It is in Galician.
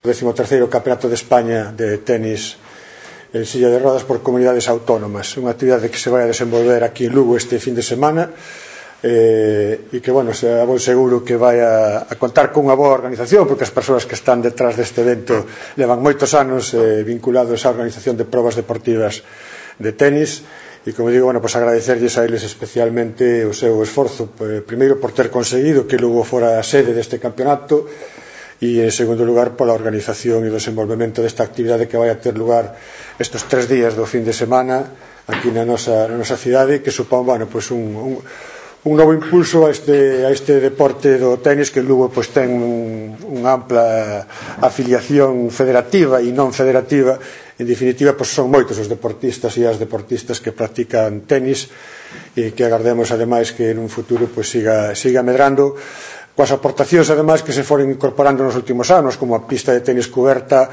13º Campeonato de España de tenis en silla de rodas por comunidades autónomas, unha actividade que se vai a desenvolver aquí en Lugo este fin de semana e que, bueno, xa vou seguro que vai a contar con unha boa organización, porque as persoas que están detrás deste evento levan moitos anos vinculados á organización de probas deportivas de tenis e, como digo, bueno, pues agradecerlles a eles especialmente o seu esforzo, primeiro por ter conseguido que Lugo fora a sede deste campeonato e, en segundo lugar, pola organización e o desenvolvemento desta actividade que vai a ter lugar estes 3 días do fin de semana aquí na nosa cidade, que supón, bueno, pues un novo impulso a este deporte do tenis, que Lugo pues ten unha ampla afiliación federativa e non federativa. En definitiva, pues son moitos os deportistas e as deportistas que practican tenis e que agardemos, ademais, que en un futuro pues siga medrando, coas aportacións, ademais, que se foren incorporando nos últimos anos, como a pista de tenis cuberta